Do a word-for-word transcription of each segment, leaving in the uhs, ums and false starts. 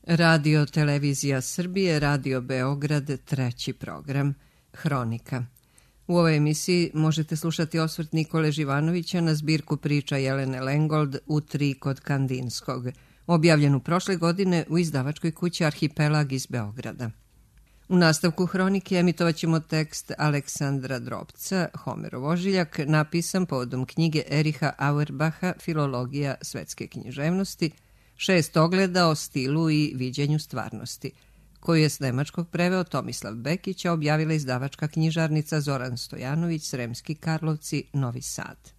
Radio Televizija Srbije, Radio Beograd, treći program, Hronika. U ovoj emisiji možete slušati osvrt Nikole Živanovića na zbirku priča Jelene Lengold U tri kod Kandinskog, objavljenu prošle godine u izdavačkoj kući Arhipelag iz Beograda. U nastavku Hronike emitovat ćemo tekst Aleksandra Drobca, Homerov ožiljak, napisan povodom knjige Eriha Auerbacha Filologija svetske književnosti, šest ogleda o stilu i viđenju stvarnosti, koju je s nemačkog preveo Tomislav Bekić, a objavila izdavačka knjižarnica Zoran Stojanović, Sremski Karlovci, Novi Sad.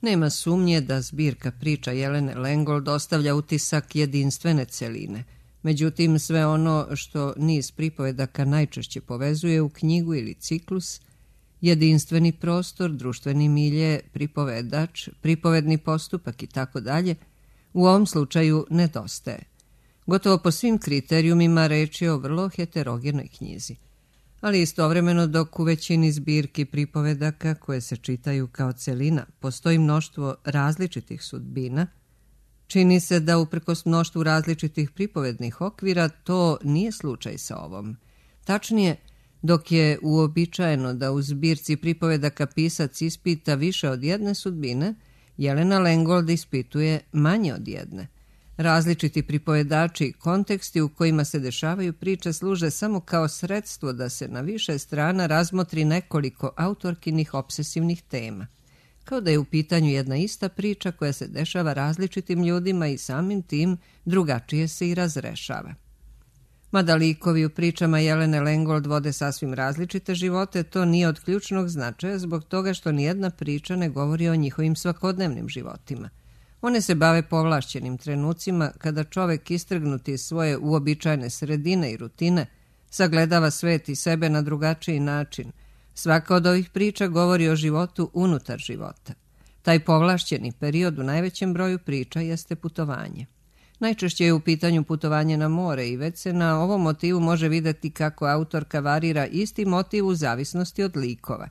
Nema sumnje da zbirka priča Jelene Lengold ostavlja utisak jedinstvene celine. Međutim, sve ono što niz pripovedaka najčešće povezuje u knjigu ili ciklus, jedinstveni prostor, društveni milje, pripovedač, pripovedni postupak i tako dalje, u ovom slučaju nedostaje. Gotovo po svim kriterijumima reč je o vrlo heterogenoj knjizi. Ali istovremeno, dok u većini zbirki pripovedaka koje se čitaju kao celina postoji mnoštvo različitih sudbina, čini se da uprkos mnoštvu različitih pripovednih okvira to nije slučaj sa ovom. Tačnije, dok je uobičajeno da u zbirci pripovedaka pisac ispita više od jedne sudbine, Jelena Lengold ispituje manje od jedne. Različiti pripovedači i konteksti u kojima se dešavaju priče služe samo kao sredstvo da se na više strana razmotri nekoliko autorkinih obsesivnih tema. Kao da je u pitanju jedna ista priča koja se dešava različitim ljudima i samim tim drugačije se i razrešava. Mada likovi u pričama Jelene Lengold vode sasvim različite živote, to nije od ključnog značaja zbog toga što nijedna priča ne govori o njihovim svakodnevnim životima. One se bave povlašćenim trenucima kada čovek istrgnuti iz svoje uobičajene sredine i rutine sagledava svet i sebe na drugačiji način. Svaka od ovih priča govori o životu unutar života. Taj povlašćeni period u najvećem broju priča jeste putovanje. Najčešće je u pitanju putovanje na more i već se na ovom motivu može videti kako autorka varira isti motiv u zavisnosti od likova.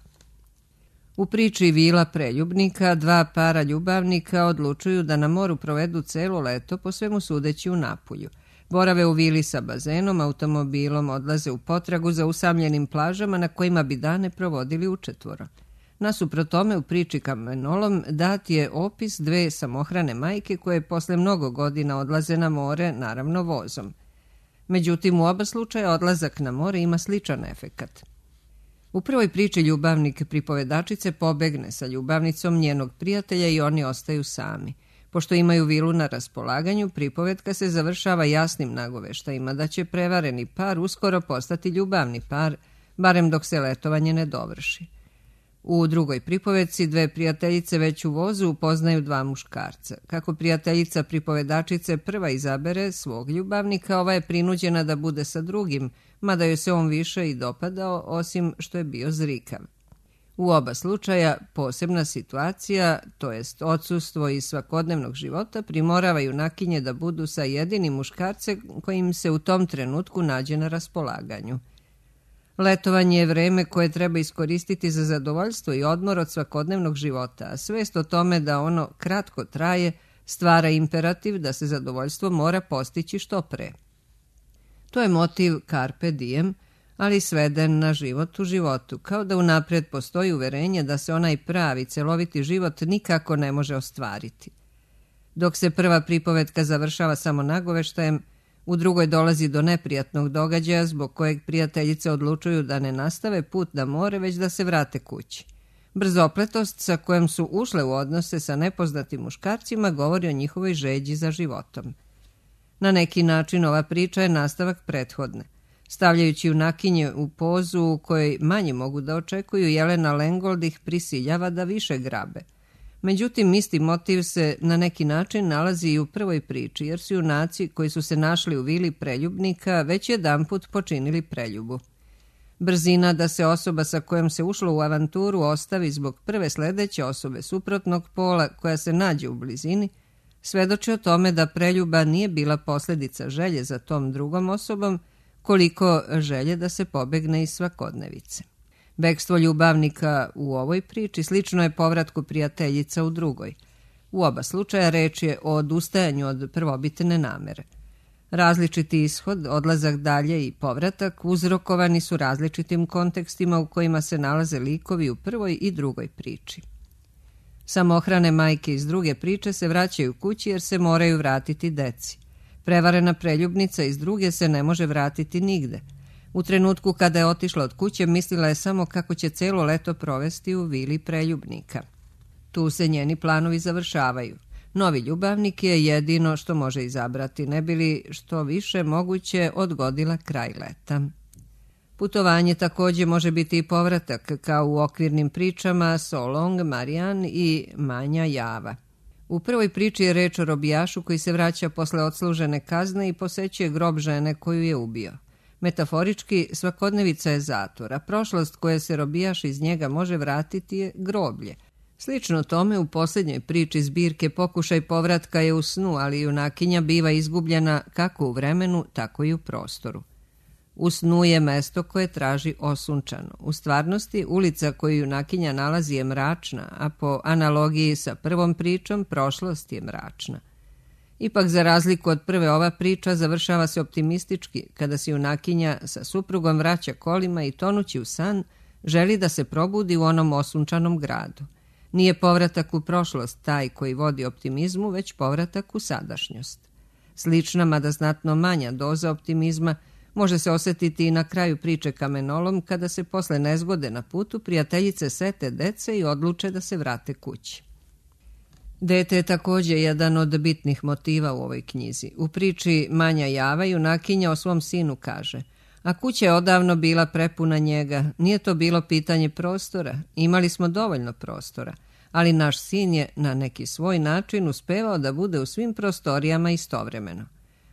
U priči Vila preljubnika dva para ljubavnika odlučuju da na moru provedu celo leto, po svemu sudeći u Napulju. Borave u vili sa bazenom, automobilom, odlaze u potragu za usamljenim plažama na kojima bi dane provodili učetvoro. Nasuprot tome u priči Kamenolom dat je opis dve samohrane majke koje posle mnogo godina odlaze na more, naravno vozom. Međutim, u oba slučaja odlazak na more ima sličan efekat. U prvoj priči ljubavnik pripovedačice pobegne sa ljubavnicom njenog prijatelja i oni ostaju sami. Pošto imaju vilu na raspolaganju, pripovetka se završava jasnim nagoveštajima da će prevareni par uskoro postati ljubavni par, barem dok se letovanje ne dovrši. U drugoj pripovetci dve prijateljice već u vozu upoznaju dva muškarca. Kako prijateljica pripovedačice prva izabere svog ljubavnika, ova je prinuđena da bude sa drugim, mada joj se on više i dopadao, osim što je bio zrikav. U oba slučaja posebna situacija, to jest odsustvo iz svakodnevnog života, primorava junakinje da budu sa jedinim muškarcem kojim se u tom trenutku nađe na raspolaganju. Letovanje je vreme koje treba iskoristiti za zadovoljstvo i odmor od svakodnevnog života, a svest o tome da ono kratko traje stvara imperativ da se zadovoljstvo mora postići što pre. To je motiv carpe diem, ali sveden na život u životu, kao da unapred postoji uverenje da se onaj pravi, celoviti život nikako ne može ostvariti. Dok se prva pripovetka završava samo nagoveštajem, u drugoj dolazi do neprijatnog događaja zbog kojeg prijateljice odlučuju da ne nastave put na more, već da se vrate kući. Brzopletost sa kojom su ušle u odnose sa nepoznatim muškarcima govori o njihovoj žeđi za životom. Na neki način ova priča je nastavak prethodne. Stavljajući junakinje u pozu u kojoj manje mogu da očekuju, Jelena Lengold ih prisiljava da više grabe. Međutim, isti motiv se na neki način nalazi i u prvoj priči, jer su junaci koji su se našli u vili preljubnika već jedanput počinili preljubu. Brzina da se osoba sa kojom se ušlo u avanturu ostavi zbog prve sledeće osobe suprotnog pola koja se nađe u blizini, svedoči o tome da preljuba nije bila posledica želje za tom drugom osobom, koliko želje da se pobegne iz svakodnevice. Bekstvo ljubavnika u ovoj priči slično je povratku prijateljica u drugoj. U oba slučaja reč je o odustajanju od prvobitne namere. Različiti ishod, odlazak dalje i povratak uzrokovani su različitim kontekstima u kojima se nalaze likovi u prvoj i drugoj priči. Samohrane majke iz druge priče se vraćaju kući jer se moraju vratiti deci. Prevarena preljubnica iz druge se ne može vratiti nigde. U trenutku kada je otišla od kuće mislila je samo kako će celo leto provesti u vili preljubnika. Tu se njeni planovi završavaju. Novi ljubavnik je jedino što može izabrati, ne bi li što više moguće odgodila kraj leta. Putovanje također može biti i povratak, kao u okvirnim pričama So Long, Marianne i Manja Java. U prvoj priči je reč o robijašu koji se vraća posle odslužene kazne i posećuje grob žene koju je ubio. Metaforički, svakodnevica je zatvor, a prošlost koja se robijaš iz njega može vratiti je groblje. Slično tome u posljednjoj priči zbirke pokušaj povratka je u snu, ali junakinja biva izgubljena kako u vremenu, tako i u prostoru. U snu je mesto koje traži osunčano. U stvarnosti, ulica koju junakinja nalazi je mračna, a po analogiji sa prvom pričom, prošlost je mračna. Ipak, za razliku od prve, ova priča završava se optimistički, kada se junakinja sa suprugom vraća kolima i tonući u san, želi da se probudi u onom osunčanom gradu. Nije povratak u prošlost taj koji vodi optimizmu, već povratak u sadašnjost. Slična, mada znatno manja doza optimizma može se osjetiti i na kraju priče Kamenolom, kada se posle nezgode na putu prijateljice sete dece i odluče da se vrate kući. Dete je također jedan od bitnih motiva u ovoj knjizi. U priči Manja Java junakinja o svom sinu kaže: a kuća je odavno bila prepuna njega, nije to bilo pitanje prostora, imali smo dovoljno prostora, ali naš sin je na neki svoj način uspevao da bude u svim prostorijama istovremeno.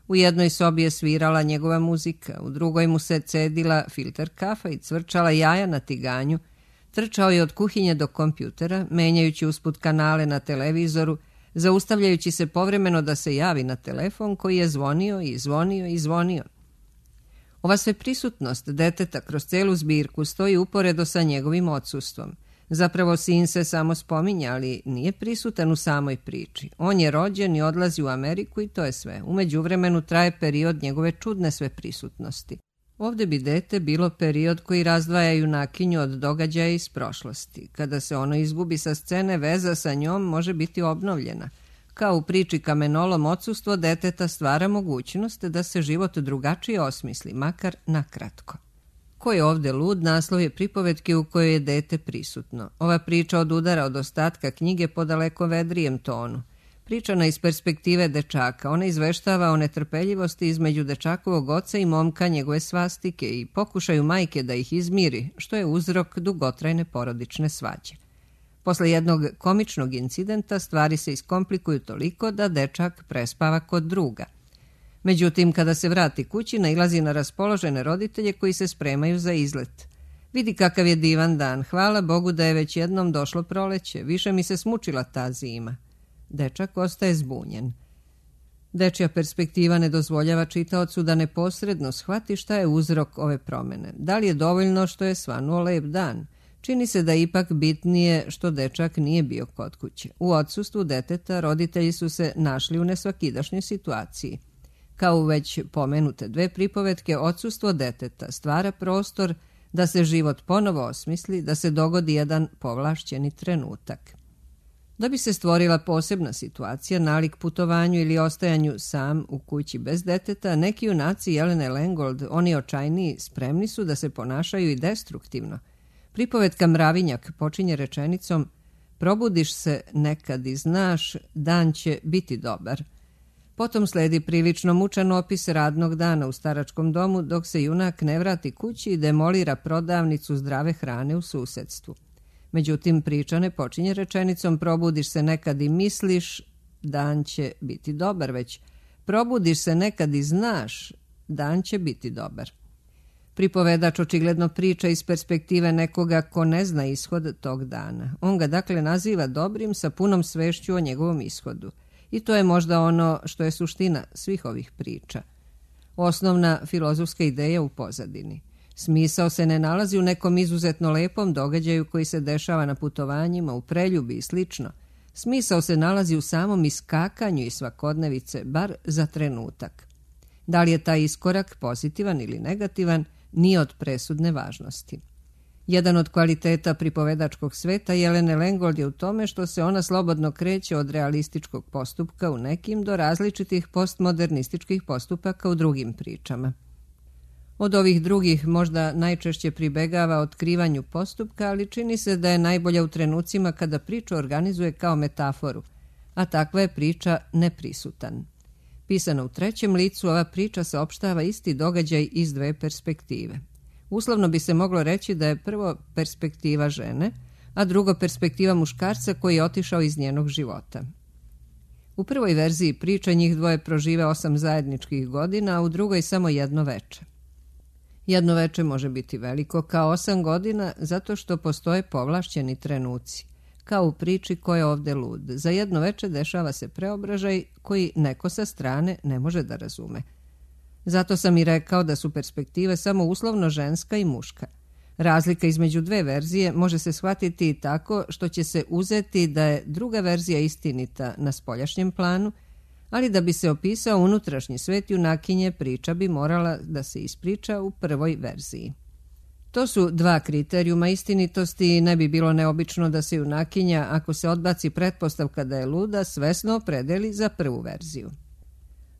U jednoj sobi je svirala njegova muzika, u drugoj mu se cedila filter kafa i cvrčala jaja na tiganju, trčao je od kuhinje do kompjutera, menjajući usput kanale na televizoru, zaustavljajući se povremeno da se javi na telefon koji je zvonio i zvonio i zvonio. Ova sve prisutnost deteta kroz celu zbirku stoji uporedo sa njegovim odsustvom. Zapravo sin se samo spominja, ali nije prisutan u samoj priči. On je rođen i odlazi u Ameriku i to je sve. U međuvremenu traje period njegove čudne sve prisutnosti. Ovdje bi dete bilo period koji razdvaja junakinju od događaja iz prošlosti. Kada se ono izgubi sa scene, veza sa njom može biti obnovljena. Kao u priči Kamenolom, odsustvo deteta stvara mogućnost da se život drugačije osmisli, makar nakratko. Ko je ovdje lud, naslov je pripovetke u kojoj je dete prisutno. Ova priča odudara od ostatka knjige po daleko vedrijem tonu. Pričana iz perspektive dečaka, ona izveštava o netrpeljivosti između dečakovog oca i momka njegove svastike i pokušaju majke da ih izmiri, što je uzrok dugotrajne porodične svađe. Posle jednog komičnog incidenta stvari se iskomplikuju toliko da dečak prespava kod druga. Međutim, kada se vrati kući, nailazi na raspoložene roditelje koji se spremaju za izlet. Vidi kakav je divan dan, hvala Bogu da je već jednom došlo proleće, više mi se smučila ta zima. Dečak ostaje zbunjen. Dečja perspektiva ne dozvoljava čitaocu da neposredno shvati šta je uzrok ove promene. Da li je dovoljno što je svanuo lep dan? Čini se da je ipak bitnije što dečak nije bio kod kuće. U odsustvu deteta roditelji su se našli u nesvakidašnjoj situaciji. Kao u već pomenute dve pripovetke, odsustvo deteta stvara prostor da se život ponovo osmisli, da se dogodi jedan povlašćeni trenutak. Da bi se stvorila posebna situacija, nalik putovanju ili ostajanju sam u kući bez deteta, neki junaci Jelene Lengold, oni očajniji, spremni su da se ponašaju i destruktivno. Pripovetka Mravinjak počinje rečenicom: probudiš se nekad i znaš, dan će biti dobar. Potom sledi prilično mučan opis radnog dana u staračkom domu dok se junak ne vrati kući i demolira prodavnicu zdrave hrane u susedstvu. Međutim, priča ne počinje rečenicom probudiš se nekad i misliš, dan će biti dobar, već probudiš se nekad i znaš, dan će biti dobar. Pripovedač očigledno priča iz perspektive nekoga ko ne zna ishod tog dana. On ga dakle naziva dobrim sa punom svešću o njegovom ishodu. I to je možda ono što je suština svih ovih priča. Osnovna filozofska ideja u pozadini. Smisao se ne nalazi u nekom izuzetno lepom događaju koji se dešava na putovanjima, u preljubi i slično. Smisao se nalazi u samom iskakanju iz svakodnevice, bar za trenutak. Da li je taj iskorak pozitivan ili negativan, nije od presudne važnosti. Jedan od kvaliteta pripovedačkog sveta Jelene Lengold je u tome što se ona slobodno kreće od realističkog postupka u nekim do različitih postmodernističkih postupaka u drugim pričama. Od ovih drugih možda najčešće pribegava otkrivanju postupka, ali čini se da je najbolja u trenucima kada priču organizuje kao metaforu, a takva je priča neprisutan. Pisana u trećem licu, ova priča saopštava isti događaj iz dve perspektive. Uslovno bi se moglo reći da je prvo perspektiva žene, a drugo perspektiva muškarca koji je otišao iz njenog života. U prvoj verziji priče njih dvoje prožive osam zajedničkih godina, a u drugoj samo jedno veče. Jedno veče može biti veliko kao osam godina zato što postoje povlašćeni trenuci, kao u priči Ko je ovde lud. Za jedno veče dešava se preobražaj koji neko sa strane ne može da razume. Zato sam i rekao da su perspektive samo uslovno ženska i muška. Razlika između dve verzije može se shvatiti i tako što će se uzeti da je druga verzija istinita na spoljašnjem planu, ali da bi se opisao unutrašnji svet junakinje, priča bi morala da se ispriča u prvoj verziji. To su dva kriterijuma istinitosti i ne bi bilo neobično da se junakinja, ako se odbaci pretpostavka da je luda, svesno opredeli za prvu verziju.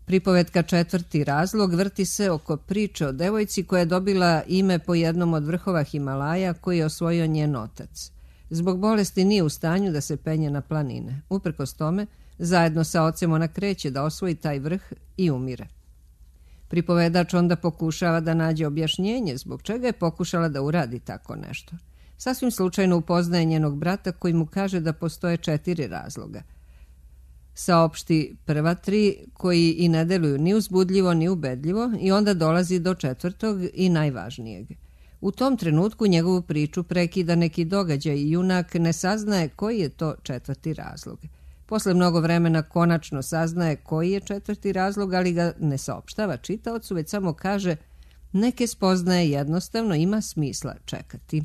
Pripovetka Četvrti razlog vrti se oko priče o devojci koja je dobila ime po jednom od vrhova Himalaja koji je osvojio njen otac. Zbog bolesti nije u stanju da se penje na planine. Uprkos tome, zajedno sa ocem ona kreće da osvoji taj vrh i umire. Pripovedač onda pokušava da nađe objašnjenje zbog čega je pokušala da uradi tako nešto. Sasvim slučajno upoznaje njenog brata koji mu kaže da postoje četiri razloga. Saopšti prva tri koji i ne deluju ni uzbudljivo ni ubedljivo i onda dolazi do četvrtog i najvažnijeg. U tom trenutku njegovu priču prekida neki događaj i junak ne saznaje koji je to četvrti razlog. Posle mnogo vremena konačno saznaje koji je četvrti razlog, ali ga ne saopštava čitaocu, već samo kaže neke spoznaje jednostavno ima smisla čekati.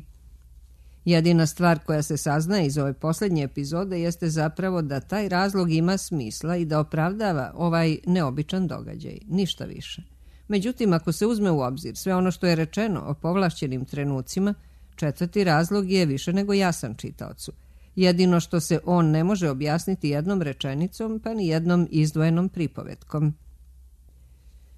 Jedina stvar koja se saznaje iz ove posljednje epizode jeste zapravo da taj razlog ima smisla i da opravdava ovaj neobičan događaj, ništa više. Međutim, ako se uzme u obzir sve ono što je rečeno o povlašćenim trenucima, četvrti razlog je više nego jasan čitaocu. Jedino što se on ne može objasniti jednom rečenicom, pa ni jednom izdvojenom pripovetkom.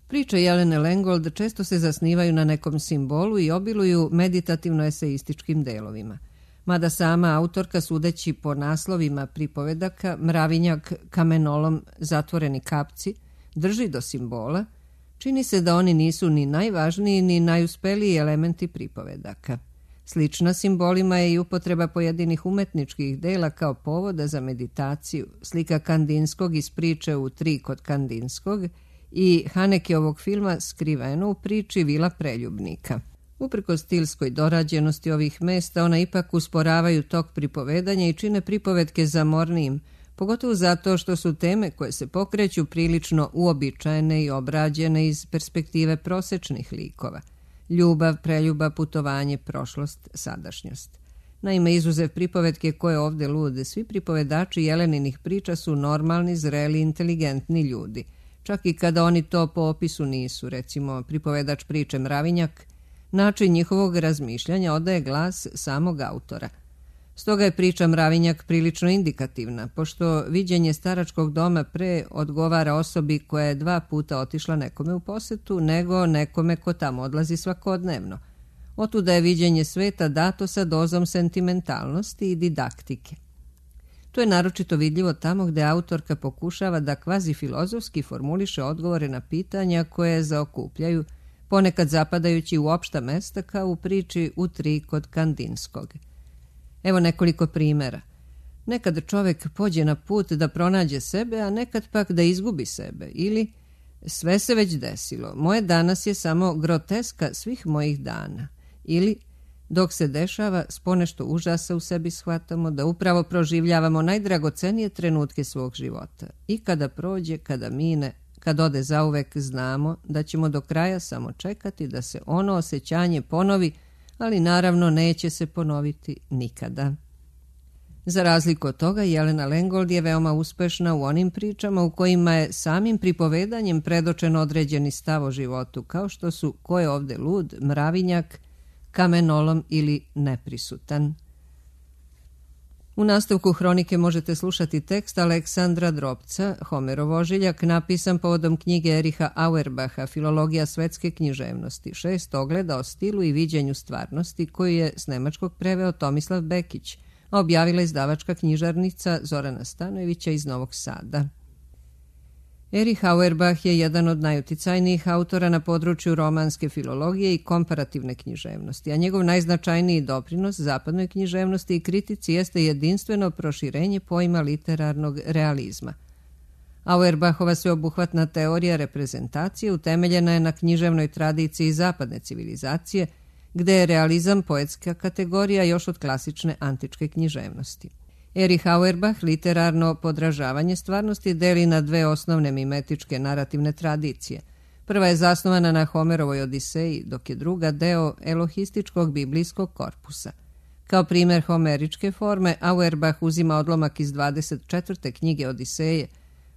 Priče Jelene Lengold često se zasnivaju na nekom simbolu i obiluju meditativno-eseističkim delovima. Mada sama autorka, sudeći po naslovima pripovedaka Mravinjak, Kamenolom, Zatvoreni kapci, drži do simbola, čini se da oni nisu ni najvažniji ni najuspeliji elementi pripovedaka. Slična simbolima je i upotreba pojedinih umetničkih dela kao povoda za meditaciju, slika Kandinskog iz priče U tri kod Kandinskog i Hanekeovog filma Skriveno u priči Vila preljubnika. Uprkos stilskoj dorađenosti ovih mesta, ona ipak usporavaju tok pripovedanja i čine pripovetke zamornijim, pogotovo zato što su teme koje se pokreću prilično uobičajene i obrađene iz perspektive prosečnih likova. Ljubav, preljuba, putovanje, prošlost, sadašnjost. Naime, izuzev pripovetke Ko je ovde lud, svi pripovedači Jeleninih priča su normalni, zreli, inteligentni ljudi. Čak i kada oni to po opisu nisu, recimo pripovedač priče Mravinjak, način njihovog razmišljanja odaje glas samog autora. Stoga je priča Mravinjak prilično indikativna, pošto viđenje staračkog doma pre odgovara osobi koja je dva puta otišla nekome u posetu, nego nekome ko tamo odlazi svakodnevno. Otuda je viđenje sveta dato sa dozom sentimentalnosti i didaktike. To je naročito vidljivo tamo gde autorka pokušava da kvazi filozofski formuliše odgovore na pitanja koje zaokupljaju, ponekad zapadajući u opšta mesta kao u priči U tri kod Kandinskog. Evo nekoliko primjera. Nekad čovek pođe na put da pronađe sebe, a nekad pak da izgubi sebe. Ili sve se već desilo, moje danas je samo groteska svih mojih dana. Ili dok se dešava, s ponešto užasa u sebi shvatamo da upravo proživljavamo najdragocenije trenutke svog života. I kada prođe, kada mine, kad ode zauvek, znamo da ćemo do kraja samo čekati da se ono osjećanje ponovi, ali naravno neće se ponoviti nikada. Za razliku od toga, Jelena Lengold je veoma uspešna u onim pričama u kojima je samim pripovedanjem predočen određeni stav o životu, kao što su Ko je ovde lud, Mravinjak, Kamenolom ili Neprisutan. U nastavku hronike možete slušati tekst Aleksandra Drobca, Homerov ožiljak, napisan povodom knjige Ericha Auerbacha, Filologija svetske književnosti, šest ogleda o stilu i viđenju stvarnosti, koju je s nemačkog preveo Tomislav Bekić, a objavila izdavačka knjižarnica Zorana Stanojevića iz Novog Sada. Erich Auerbach je jedan od najuticajnijih autora na području romanske filologije i komparativne književnosti, a njegov najznačajniji doprinos zapadnoj književnosti i kritici jeste jedinstveno proširenje pojma literarnog realizma. Auerbachova sveobuhvatna teorija reprezentacije utemeljena je na književnoj tradiciji zapadne civilizacije, gde je realizam poetska kategorija još od klasične antičke književnosti. Erich Auerbach literarno podražavanje stvarnosti deli na dve osnovne mimetičke narativne tradicije. Prva je zasnovana na Homerovoj Odiseji, dok je druga deo elohističkog biblijskog korpusa. Kao primer homeričke forme, Auerbach uzima odlomak iz dvadeset četvrte knjige Odiseje,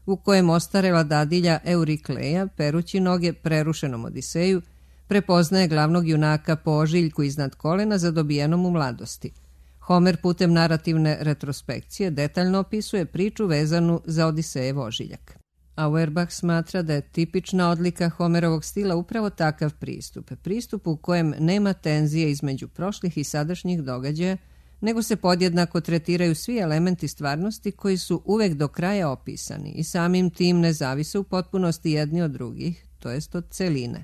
u kojem ostarela dadilja Eurikleja, perući noge prerušenom Odiseju, prepoznaje glavnog junaka po ožiljku iznad kolena zadobijenom u mladosti. Homer putem narativne retrospekcije detaljno opisuje priču vezanu za Odisejev ožiljak. Auerbach smatra da je tipična odlika Homerovog stila upravo takav pristup, pristup u kojem nema tenzije između prošlih i sadašnjih događaja, nego se podjednako tretiraju svi elementi stvarnosti koji su uvek do kraja opisani i samim tim ne zavise u potpunosti jedni od drugih, to jest od celine.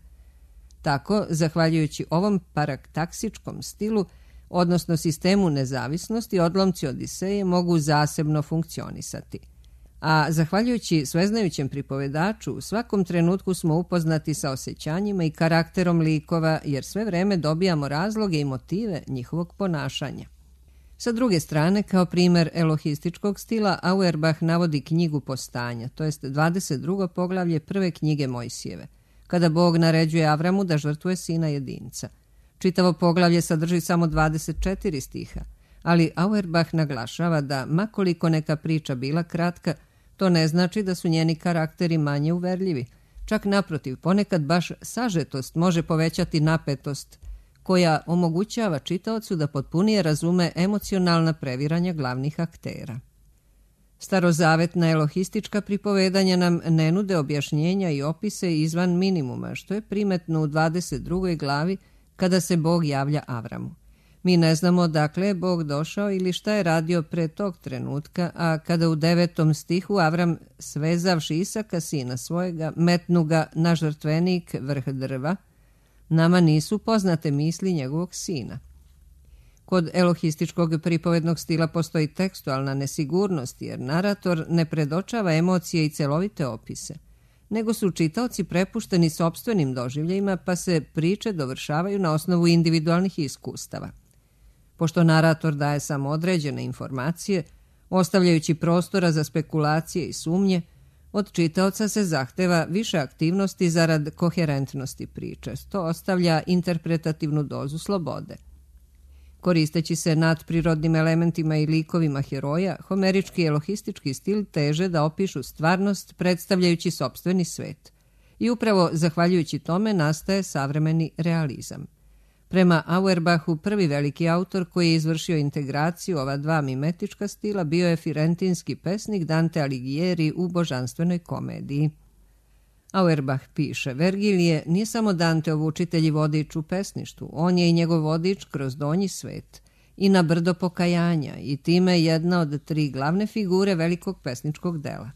Tako, zahvaljujući ovom paraktaksičkom stilu, odnosno sistemu nezavisnosti, odlomci Odiseje mogu zasebno funkcionisati. A zahvaljujući sveznajućem pripovedaču, u svakom trenutku smo upoznati sa osjećanjima i karakterom likova, jer sve vreme dobijamo razloge i motive njihovog ponašanja. Sa druge strane, kao primer elohističkog stila, Auerbach navodi knjigu Postanja, to jest dvadeset drugo poglavlje prve knjige Mojsijeve, kada Bog naređuje Avramu da žrtvuje sina jedinca. Čitavo poglavlje sadrži samo dvadeset četiri stiha, ali Auerbach naglašava da, makoliko neka priča bila kratka, to ne znači da su njeni karakteri manje uverljivi. Čak naprotiv, ponekad baš sažetost može povećati napetost, koja omogućava čitaocu da potpunije razume emocionalna previranja glavnih aktera. Starozavetna elohistička pripovedanja nam ne nude objašnjenja i opise izvan minimuma, što je primetno u dvadeset drugoj glavi kada se Bog javlja Avramu. Mi ne znamo dakle je Bog došao ili šta je radio pre tog trenutka, a kada u devetom stihu Avram, svezavši Isaka, sina svojega, metnu ga na žrtvenik vrh drva, nama nisu poznate misli njegovog sina. Kod elohističkog pripovednog stila postoji tekstualna nesigurnost, jer narator ne predočava emocije i celovite opise, nego su čitaoci prepušteni sopstvenim doživljajima, pa se priče dovršavaju na osnovu individualnih iskustava. Pošto narator daje samo određene informacije, ostavljajući prostora za spekulacije i sumnje, od čitaoca se zahteva više aktivnosti zarad koherentnosti priče. To ostavlja interpretativnu dozu slobode. Koristeći se nadprirodnim elementima i likovima heroja, homerički i elohistički stil teže da opišu stvarnost predstavljajući sopstveni svet. I upravo zahvaljujući tome nastaje savremeni realizam. Prema Auerbachu, prvi veliki autor koji je izvršio integraciju ova dva mimetička stila bio je firentinski pesnik Dante Alighieri u Božanstvenoj komediji. Auerbach piše, Vergilije nije samo Danteov učitelj i vodič u pesništvu, on je i njegov vodič kroz donji svet i na brdo pokajanja i time jedna od tri glavne figure velikog pesničkog dela.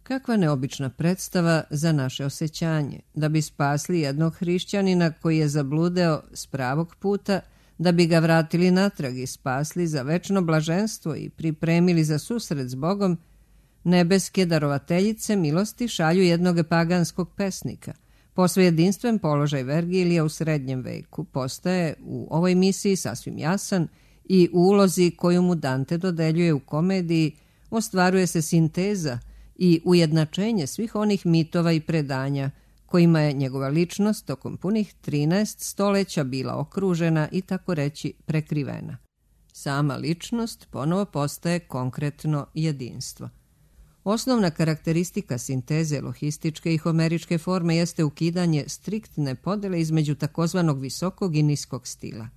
Kakva neobična predstava za naše osjećanje, da bi spasli jednog hrišćanina koji je zabludeo s pravog puta, da bi ga vratili natrag i spasli za večno blaženstvo i pripremili za susret s Bogom, nebeske darovateljice milosti šalju jednog paganskog pesnika. Posve jedinstven položaj Vergilija u srednjem veku postaje u ovoj misiji sasvim jasan i u ulozi koju mu Dante dodeljuje u komediji ostvaruje se sinteza i ujednačenje svih onih mitova i predanja kojima je njegova ličnost tokom punih trinaest stoleća bila okružena i tako reći prekrivena. Sama ličnost ponovo postaje konkretno jedinstvo. Osnovna karakteristika sinteze elohističke i homeričke forme jeste ukidanje striktne podele između takozvanog visokog i niskog stila,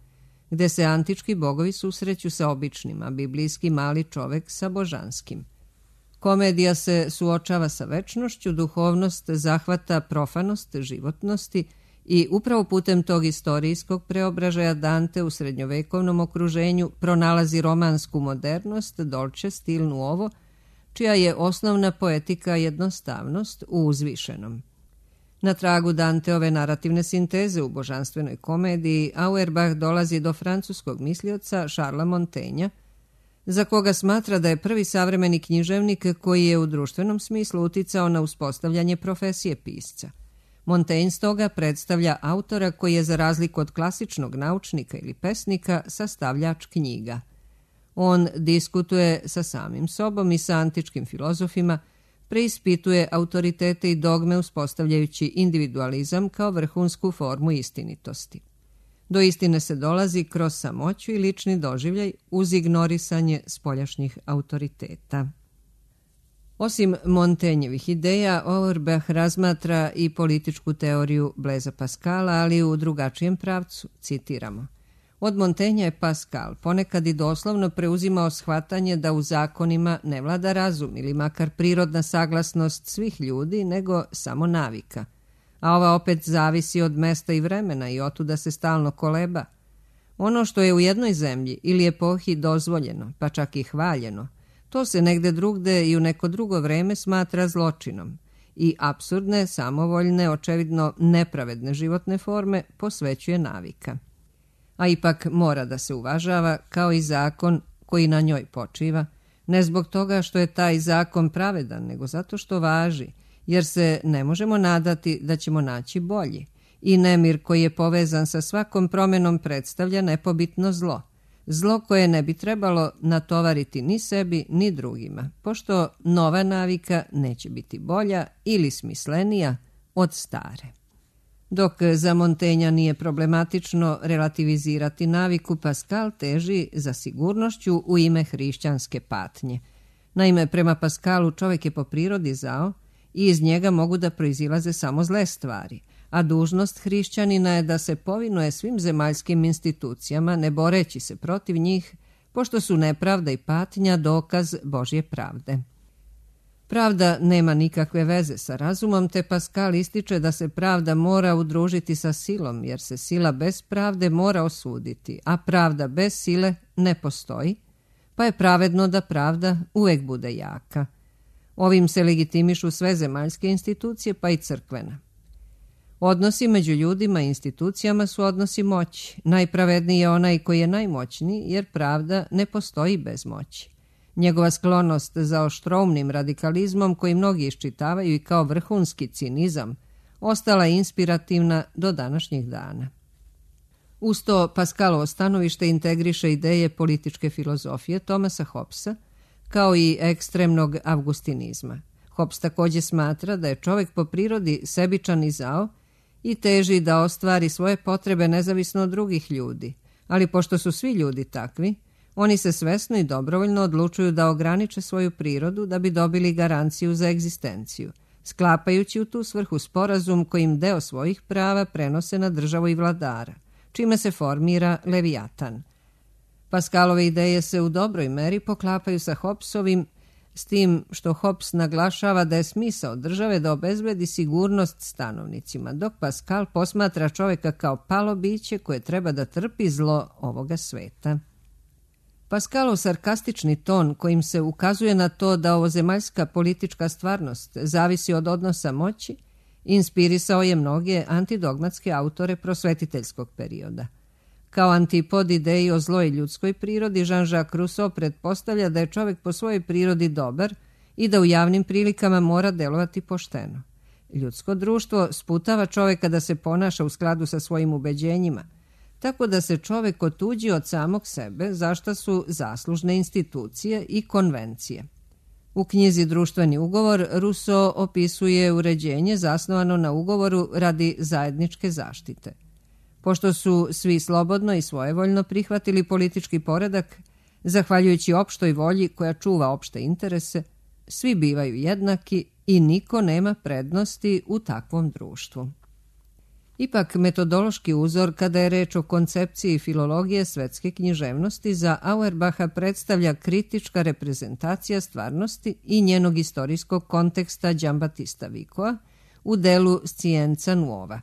gde se antički bogovi susreću sa običnim, a biblijski mali čovek sa božanskim. Komedija se suočava sa večnošću, duhovnost zahvata profanost životnosti i upravo putem tog istorijskog preobražaja Dante u srednjovekovnom okruženju pronalazi romansku modernost, dolce stil nuovo, čija je osnovna poetika jednostavnost u uzvišenom. Na tragu Danteove narativne sinteze u božanstvenoj komediji Auerbach dolazi do francuskog mislioca Charlesa Montaigna, za koga smatra da je prvi savremeni književnik koji je u društvenom smislu uticao na uspostavljanje profesije pisca. Montaigne stoga predstavlja autora koji je, za razliku od klasičnog naučnika ili pesnika, sastavljač knjiga. On diskutuje sa samim sobom i sa antičkim filozofima, preispituje autoritete i dogme uspostavljajući individualizam kao vrhunsku formu istinitosti. Do istine se dolazi kroz samoću i lični doživljaj uz ignorisanje spoljašnjih autoriteta. Osim Montaignovih ideja, Auerbach razmatra i političku teoriju Blaisa Pascala, ali u drugačijem pravcu, citiramo. Od Montaigna je Pascal ponekad i doslovno preuzimao shvatanje da u zakonima ne vlada razum ili makar prirodna saglasnost svih ljudi, nego samo navika. A ova opet zavisi od mesta i vremena i otuda se stalno koleba. Ono što je u jednoj zemlji ili epohi dozvoljeno, pa čak i hvaljeno, to se negde drugde i u neko drugo vreme smatra zločinom i apsurdne, samovoljne, očevidno nepravedne životne forme posvećuje navika. A ipak mora da se uvažava kao i zakon koji na njoj počiva, ne zbog toga što je taj zakon pravedan, nego zato što važi, jer se ne možemo nadati da ćemo naći bolji. I nemir koji je povezan sa svakom promenom predstavlja nepobitno zlo. Zlo koje ne bi trebalo natovariti ni sebi ni drugima, pošto nova navika neće biti bolja ili smislenija od stare. Dok za Montaigna nije problematično relativizirati naviku, Pascal teži za sigurnošću u ime hrišćanske patnje. Naime, prema Pascalu čovjek je po prirodi zao i iz njega mogu da proizilaze samo zle stvari, a dužnost hrišćanina je da se povinuje svim zemaljskim institucijama, ne boreći se protiv njih, pošto su nepravda i patnja dokaz Božje pravde. Pravda nema nikakve veze sa razumom, te Pascal ističe da se pravda mora udružiti sa silom, jer se sila bez pravde mora osuditi, a pravda bez sile ne postoji, pa je pravedno da pravda uvek bude jaka. Ovim se legitimišu sve zemaljske institucije, pa i crkvena. Odnosi među ljudima i institucijama su odnosi moći. Najpravedniji je onaj koji je najmoćniji, jer pravda ne postoji bez moći. Njegova sklonost za oštroumnim radikalizmom, koji mnogi iščitavaju i kao vrhunski cinizam, ostala je inspirativna do današnjih dana. Uz to Pascalovo stanovište integriše ideje političke filozofije Thomasa Hobbesa, kao i ekstremnog avgustinizma. Hobbes također smatra da je čovjek po prirodi sebičan i zao i teži da ostvari svoje potrebe nezavisno od drugih ljudi, ali pošto su svi ljudi takvi, oni se svesno i dobrovoljno odlučuju da ograniče svoju prirodu da bi dobili garanciju za egzistenciju, sklapajući u tu svrhu sporazum kojim deo svojih prava prenose na državu i vladara, čime se formira Levijatan. Pascalove ideje se u dobroj meri poklapaju sa Hobbesovim, s tim što Hobbes naglašava da je smisao države da obezbedi sigurnost stanovnicima, dok Pascal posmatra čovjeka kao palo biće koje treba da trpi zlo ovoga sveta. Pascalov sarkastični ton kojim se ukazuje na to da ovozemaljska politička stvarnost zavisi od odnosa moći, inspirisao je mnoge antidogmatske autore prosvetiteljskog perioda. Kao antipod ideji o zloj ljudskoj prirodi, Jean-Jacques Rousseau pretpostavlja da je čovjek po svojoj prirodi dobar i da u javnim prilikama mora delovati pošteno. Ljudsko društvo sputava čovjeka da se ponaša u skladu sa svojim ubeđenjima, tako da se čovjek otuđi od samog sebe, za šta su zaslužne institucije i konvencije. U knjizi Društveni ugovor Rousseau opisuje uređenje zasnovano na ugovoru radi zajedničke zaštite. Pošto su svi slobodno i svojevoljno prihvatili politički poredak, zahvaljujući opštoj volji koja čuva opšte interese, svi bivaju jednaki i niko nema prednosti u takvom društvu. Ipak, metodološki uzor kada je reč o koncepciji filologije svetske književnosti za Auerbacha predstavlja kritička reprezentacija stvarnosti i njenog istorijskog konteksta Giambattista Vicoa u delu Scienza Nuova.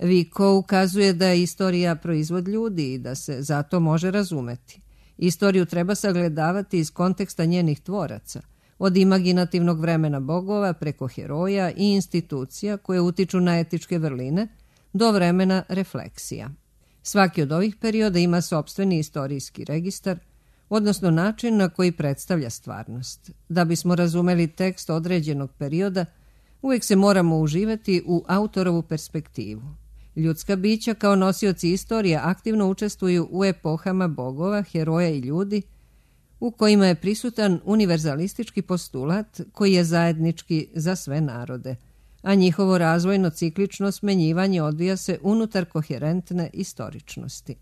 Vico ukazuje da je istorija proizvod ljudi i da se zato može razumeti. Istoriju treba sagledavati iz konteksta njenih tvoraca, od imaginativnog vremena bogova preko heroja i institucija koje utiču na etičke vrline, do vremena refleksija. Svaki od ovih perioda ima sopstveni istorijski registar, odnosno način na koji predstavlja stvarnost. Da bismo razumeli tekst određenog perioda, uvijek se moramo uživati u autorovu perspektivu. Ljudska bića kao nosioci istorije aktivno učestvuju u epohama bogova, heroja i ljudi, u kojima je prisutan univerzalistički postulat koji je zajednički za sve narode, a njihovo razvojno ciklično smenjivanje odvija se unutar koherentne istoričnosti.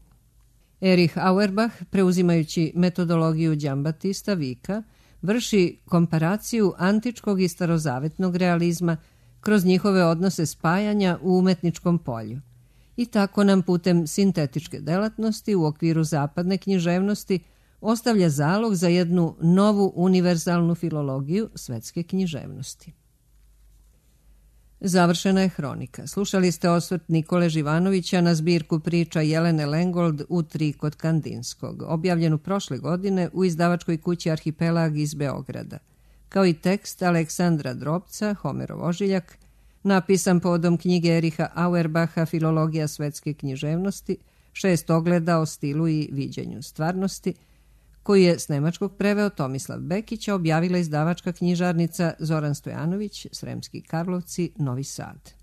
Erich Auerbach, preuzimajući metodologiju Giambattista Vica, vrši komparaciju antičkog i starozavetnog realizma kroz njihove odnose spajanja u umetničkom polju. I tako nam putem sintetičke delatnosti u okviru zapadne književnosti ostavlja zalog za jednu novu univerzalnu filologiju svetske književnosti. Završena je hronika. Slušali ste osvrt Nikole Živanovića na zbirku priča Jelene Lengold U tri kod Kandinskog, objavljenu prošle godine u izdavačkoj kući Arhipelag iz Beograda, kao i tekst Aleksandra Drobca, Homerov ožiljak, napisan povodom knjige Ericha Auerbacha Filologija svetske književnosti, šest ogleda o stilu i viđenju stvarnosti, koji je s nemačkog preveo Tomislav Bekić, objavila izdavačka knjižarnica Zoran Stojanović, Sremski Karlovci, Novi Sad.